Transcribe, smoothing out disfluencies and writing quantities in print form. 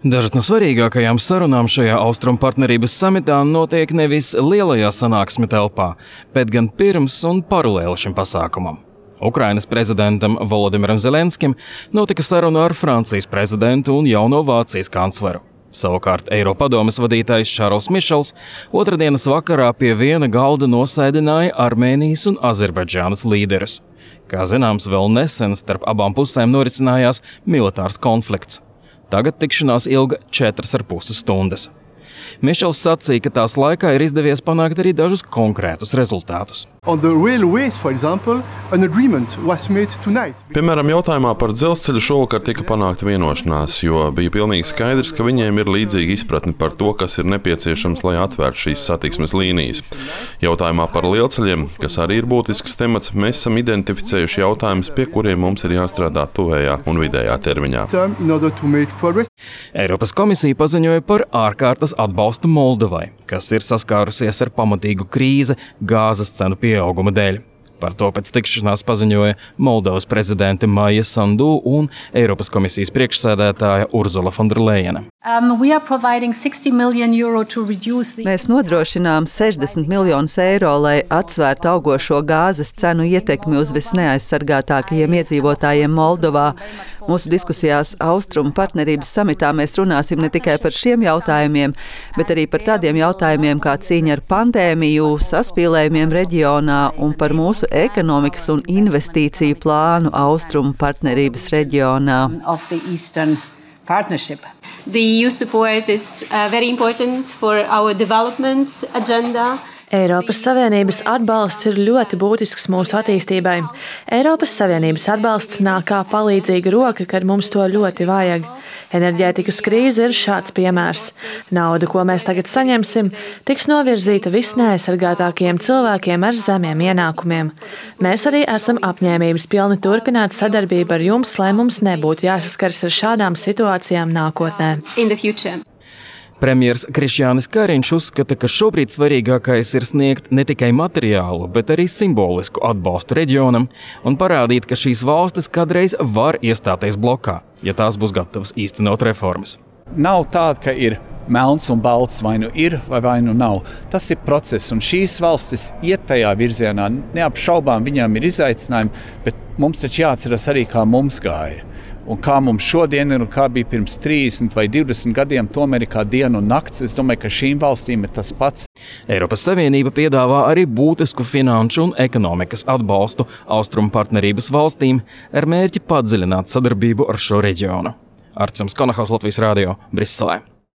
Dažas no svarīgākajām sarunām šajā Austrumu partnerības samitā notiek nevis lielajā sanāksmi telpā, bet gan pirms un paralēli šim pasākumam. Ukrainas prezidentam Volodimiram Zelenskim notika saruna ar Francijas prezidentu un jauno Vācijas kancleru. Savukārt Eiropadomes vadītājs Šarls Mišels otrdienas vakarā pie viena galda nosēdināja Armēnijas un Azerbaidžānas līderus. Kā zināms, vēl nesen starp abām pusēm norisinājās militārs konflikts. Tagad tikšanās ilga 4,5 stundas. Mišels sacīja, ka tās laikā ir izdevies panākt arī dažus konkrētus rezultātus. Piemēram, jautājumā par dzelzceļu šovakar tika panākta vienošanās, jo bija pilnīgi skaidrs, ka viņiem ir līdzīga izpratne par to, kas ir nepieciešams, lai atvērtu šīs satiksmes līnijas. Jautājumā par lielceļiem, kas arī ir būtisks temats, mēs esam identificējuši jautājumus, pie kuriem mums ir jāstrādā tuvējā un vidējā termiņā. Eiropas komisija paziņoja par ārkārtas atbalstu Moldovai, kas ir saskārusies ar pamatīgu krīzi gāzes cenu pieauguma dēļ. Par to pēc tikšanās paziņoja Moldovas prezidente Maija Sandu un Eiropas komisijas priekšsēdētāja Urzula von der Leyena. Mēs nodrošinām 60 miljonus eiro, lai atsvērtu augošo gāzes cenu ietekmi uz visneaizsargātākajiem iedzīvotājiem Moldovā. Mūsu diskusijās Austrumu partnerības samitā mēs runāsim ne tikai par šiem jautājumiem, bet arī par tādiem jautājumiem kā cīņa ar pandēmiju, saspīlējumiem reģionā un par mūsu ekonomikas un investīciju plānu Austrumu partnerības reģionā. The EU support is very important for our development agenda. Eiropas Savienības atbalsts ir ļoti būtisks mūsu attīstībai. Eiropas Savienības atbalsts nāk kā palīdzīga roka, kad mums to ļoti vajag. Enerģētikas krīze ir šāds piemērs. Nauda, ko mēs tagad saņemsim, tiks novirzīta visneaizsargātākajiem cilvēkiem ar zemiem ienākumiem. Mēs arī esam apņēmības pilni turpināt sadarbību ar jums, lai mums nebūtu jāsaskars ar šādām situācijām nākotnē. Premjers Krišjānis Kariņš uzskata, ka šobrīd svarīgākais ir sniegt ne tikai materiālu, bet arī simbolisku atbalstu reģionam un parādīt, ka šīs valstis kādreiz var iestāties blokā, ja tās būs gatavas īstenot reformas. Nav tāda, ka ir melns un balts, vai nu ir, vai nu nav. Tas ir process, un šīs valstis iet tajā virzienā. Neapšaubām viņām ir izaicinājumi, bet mums taču jāatceras arī, kā mums gāja. Un kā mums šodien ir un kā bija pirms 30 vai 20 gadiem, tomēr ir kā diena un nakts. Es domāju, ka šīm valstīm ir tas pats. Eiropas Savienība piedāvā arī būtisku finanšu un ekonomikas atbalstu Austrumu partnerības valstīm ar mērķi padziļināt sadarbību ar šo reģionu. Arčuns Konahaus, Latvijas Rādio, Briselē.